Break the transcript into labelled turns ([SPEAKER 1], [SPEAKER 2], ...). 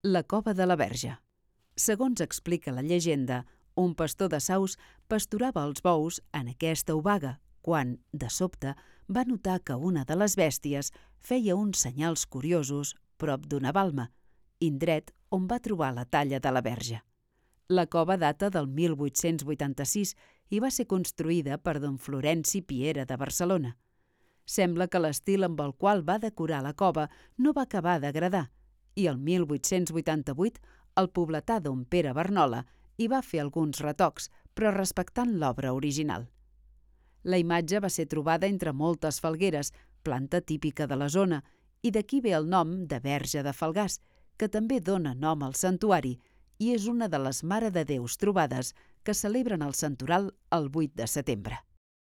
[SPEAKER 1] La cova de la Verge. Segons explica la llegenda, un pastor de Saus pasturava els bous en aquesta obaga quan, de sobte, va notar que una de les bèsties feia uns senyals curiosos prop d'una balma, indret on va trobar la talla de la Verge. La cova data del 1886 i va ser construïda per don Florenci Piera de Barcelona. Sembla que l'estil amb el qual va decorar la cova no va acabar d'agradar i el 1888 el pobletà don Pere Barnola hi va fer alguns retocs, però respectant l'obra original. La imatge va ser trobada entre moltes falgueres, planta típica de la zona, i d'aquí ve el nom de Verge de Falgars, que també dona nom al santuari i és una de les Mare de Déus trobades que celebren el santoral el 8 de setembre.